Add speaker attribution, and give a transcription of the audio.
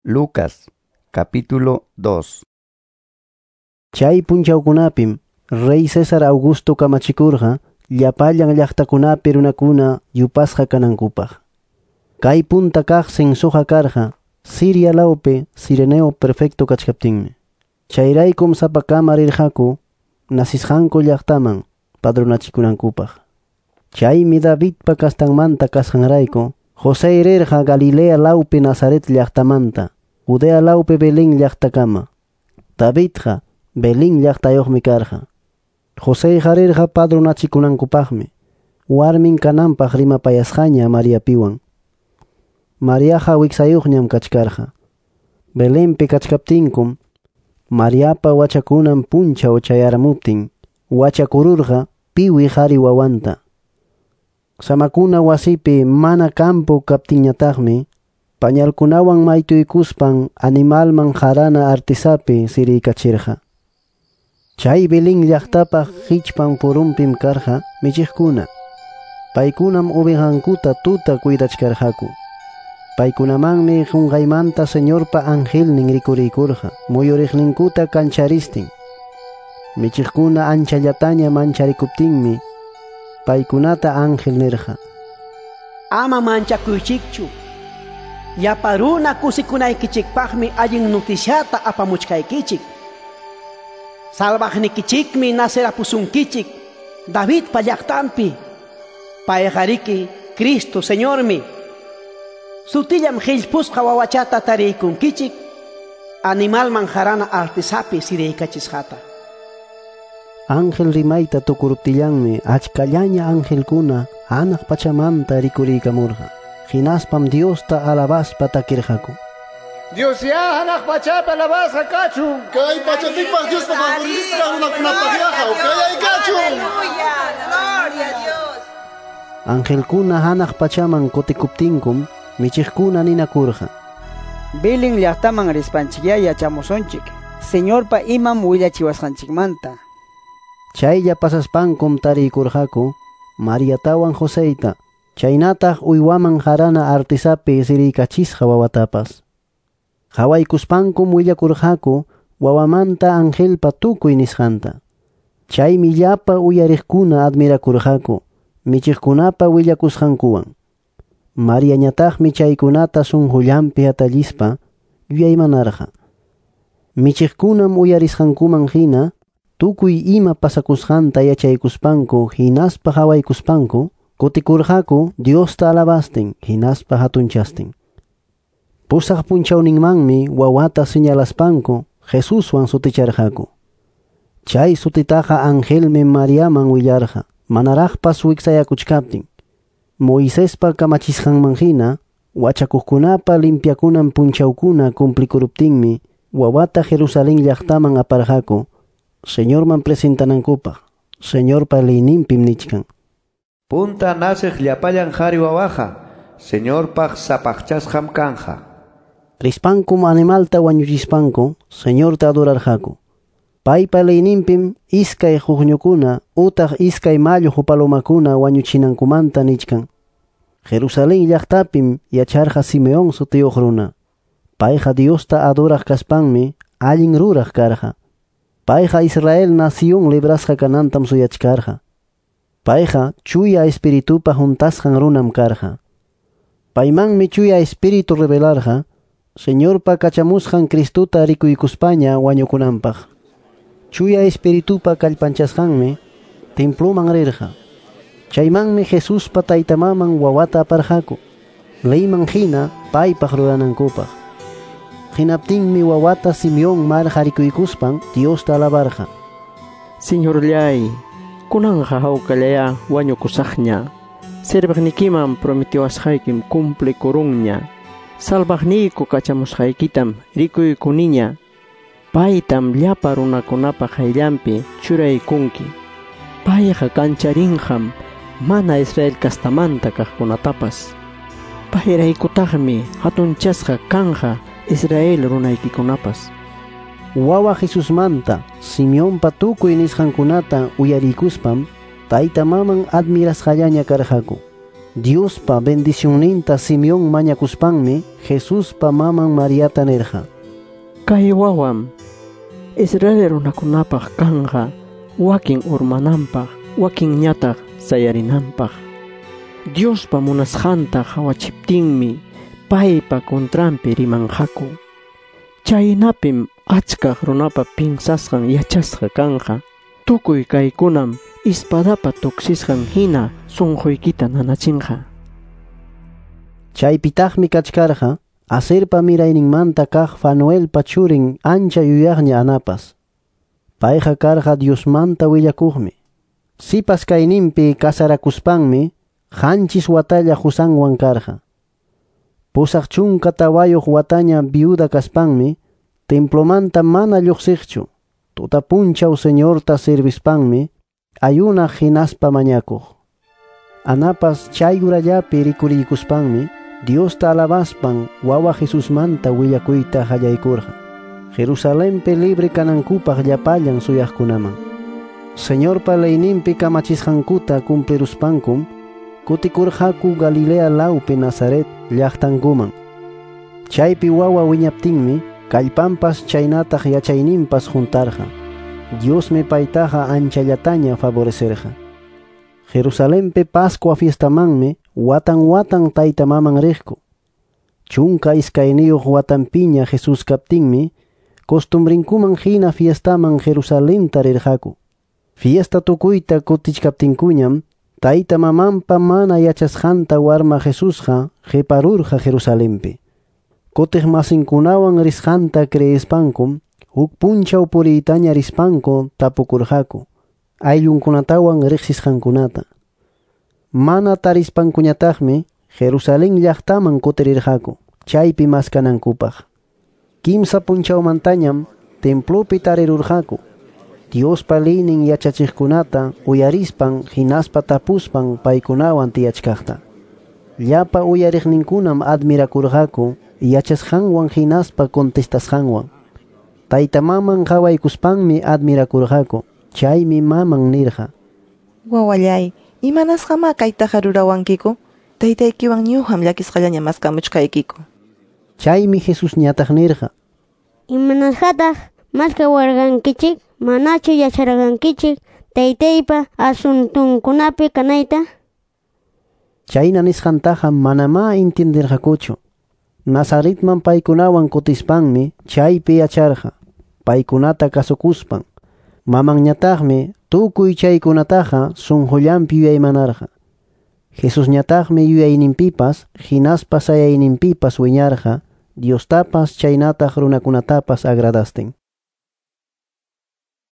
Speaker 1: Lucas, capítulo 2.
Speaker 2: Chay punchawkunapim Rey César Augusto kamachikurqa llapallan llaqtakunapi runakuna yupasqa kanankupaq. Kay punta kaq censoqa karqa Siria lawpi Cireneo prefecto kachkaptinmi. Chayraykum sapakama rirqaku nasisqanku llaqtaman padronachikunankupaq. Chaymi Davidpa kastanmanta kasqanrayku José rirqa Galilea lawpi Nazaret llaqtamanta, Judea lawpi Belén llaqtakama. Davidqa Belén llaqtayuqmi karqa. José rirqa padronachikunankupaqmi, warmin kananpaq rimapayasqaña Mariapiwan. Mariaqa wiksayuqñam kachkarqa. Belenpi kachkaptinkum, Mariapa wachakunan punchaw chayaramuptin, wachakururqa piwi qhari wawanta. Samakuna wasipi mana campo kaptinñataqmi, pañalkunawan maytuykuspan animalman qarana artisapi siriykachirqa. Chay Belén llaqtapaq hichpan purumpim karqa michiqkuna. Paykunam ovejankuta tuta cuidachkarqaku. Paykunamanmi qunqaymanta Señorpa angelnin rikuriykurqa, muyuriqninkuta kancharistin. Michiqkuna anchallataña mancharikuptinmi, paykunata ángel nirqa:
Speaker 3: Ama manchakuychikchu. Llapa runa kusikunaykichikpaqmi allin noticiata apamuchkaykichik. Salvaqnikichikmi nacerapusunkichik Davidpa llaqtanpi. Payqariki Cristo Señormi. Sutillam qillpusqa wawachata tariykunkichik animalman qarana artisapi siriykachisqata.
Speaker 2: Ángel rimayta tukuruptillanmi achkallaña angelkuna hanaq pachamanta rikuriykamurqa. Hinaspam Diosta alabaspa takirqaku.
Speaker 4: Dios ya hanaq pachapi alabasqa kachun.
Speaker 5: Kay pachapipaq Diospa favorisqa runakunapaq kayay kachun.
Speaker 6: Aleluya, gloria a Dios.
Speaker 2: Angelkuna hanaq pachaman kutikuptinkum michiqkuna ninakurqa:
Speaker 7: Belén llaqtaman rispanchikyá yachamusunchik Señorpa imam willachiwasqanchikmanta.
Speaker 2: Chaylla pasaspankum tariykurqaku Mariatawan Joseyta, chaynataq uywaman qarana artisapi siriykachisqa wawatapas. Qhawaykuspankum willakurqaku wawamanta angelpa tukuy nisqanta. Chaymi llapa uyariqkuna admirakurqaku michiqkunapa willakusqankuwan. Mariañataqmi chaykunata sunqullanpi hatallispa yuyaymanarqa. Michiqkunam uyarisqankuman hina tukuy ima pasakusqanta yachaykuspanku hinaspa qhawaykuspanku kutikurqaku Diosta alabastin hinaspa hatunchastin. Pusaq punchawninmanmi wawata señalaspanku Jesuswan suticharqaku. Chay sutitaqa angelmi Mariaman willarqa manaraqpas wiksayakuchkaptin. Moisespa kamachisqanman hina wachakuqkunapa limpiakunan punchawkuna cumplikuruptinmi wawata Jerusalén llaqtaman aparqaku Señorman presentanankupaq. Señorpa leyninpim nichkan:
Speaker 8: Punta naciq llapallan qhari wawaqa Señorpaq sapaqchasqam kanja.
Speaker 2: Rispankum animalta wañuchispanku Señorta adorarqaku. Paypa leyninpim iskay huqñukuna utaq iskay malluq palomakuna wañuchinankumanta nichkan. Jerusalén llaqtapim yacharqa Simeón sutiyuq runa. Payqa Diosta adoraq kaspanmi allin ruraq karqa. Payqa Israel nación librasqa kanantam suyachkarqa. Payqa chuya espiritupa juntasqan runam karqa. Paymanmi chuya espíritu revelarqa Señorpa kachamusqan Cristuta rikuykuspaña wañukunanpaq. Chuya espiritupa kallpanchasqanmi temploman rirqa. Chaymanmi Jesuspa taytamaman wawata aparqaku, leyman hina paypaq ruranankupaq. Hinaptinmi wawata Simeón marqa rikuykuspan Diosta alabarqa.
Speaker 9: Señorllay, kunanqa hawkallaya wañukusaqña. Serviqnikiman prometiwasqaykim cumplikurunña. Salvaqniyku kachamusqaykitam rikuykuniña. Paytam llapa runakunapa qayllanpi churaykunki. Payqa kancharinqam mana Israel kastamanta kaqkunatapas. Payraykutaqmi hatunchasqa kanja Israel runaykikunapas.
Speaker 2: Wawa Jesusmanta Simeonpa tukuy nisqankunata uyariykuspam tayta maman admirasqallaña karqaku. Diospa bendicionninta Simeón mañakuspanmi Jesuspa maman Mariata nirqa:
Speaker 9: Kay wawam Israel runakunapaq kanqa wakin urmananpaq, wakinñataq sayarinanpaq. Diospa munasqanta qawachiptinmi paypa contranpi rimanqaku. Chaynapim achkaq runapa pinsasqan yachasqa kanqa. Tukuy kaykunam espadapa tuksisqan hina sunquykita nanachinqa.
Speaker 2: Chaypitaqmi kachkarqa Aserpa mirayninmanta kaq Fanuelpa churin ancha yuyaqña Anapas. Payqa karqa Diosmanta willakuqmi. Sipas kayninpi kasarakuspanmi 7 watalla qusanwan karqa. 84 wataña viuda kaspanmi templomanta mana lluqsiqchu. Tuta punchaw Señorta servispanmi ayunaq hinaspa mañakuq. Anapas chay urallapi rikuriykuspanmi Diosta alabaspan wawa Jesusmanta willakuyta qallaykurqa. Jerusalenpi libre kanankupaq llapallan suyaqkunaman. Señorpa leyninpi kamachisqankuta cumpliruspankum kutikurqaku Galilea lawpi Nazaret llaqtankuman. Chaypi wawa wiñaptinmi kallpanpas chaynataq yachayninpas juntarqa. Diosmi paytaqa anchallataña favorecerqa. Jerusalenpi Pascua fiestamanmi watan watan tayta maman riqku. 12 watanpiña Jesús kaptinmi costumbrinkuman hina fiestaman Jerusalenta rirqaku. Fiesta tukuyta kutichkaptinkuñam tayta mamanpa mana yachasqanta warma Jesusqa qiparurqa Jerusalenpi. Kutiq masinkunawan risqanta creespankum huk punchaw puriytaña rispanku tapukurqaku ayllunkunatawan riqsisqankunata. Mana tarispankuñataqmi Jerusalén llaqtaman kutirirqaku chaypi maskanankupaq. 3 punchawmantañam templopi tarirurqaku. Diospa leynin yachachiqkunata uyarispan hinaspa tapuspan paykunawan tiyachkaqta. Llapa uyariqninkunam admirakurqaku yachasqanwan hinaspa contestasqanwan. Tayta maman qawaykuspanmi admirakurqaku. Chaymi maman nirqa:
Speaker 6: Wawallay, imanasqamá kaytaqa rurawankiku? Taytaykiwan ñuqam llakisqallaña maskamuchkaykiku.
Speaker 2: Chaymi Jesusñataq nirqa:
Speaker 10: Imanasqataq maskawarqankichik? Manachu yacharqankichik taytaypa asuntunkunapi kanayta?
Speaker 2: Chayna nisqantaqa manamá entendirqakuchu. Nazaretman paykunawan kutispanmi chaypi yacharqa, paykunata kasukuspan. Mamanñataqmi tukuy chaykunataqa sunqullanpi yuyaymanarqa. Jesusñataqmi yuyayninpipas hinaspa sayayninpipas wiñarqa, Diostapas chaynataq runakunatapas agradastin.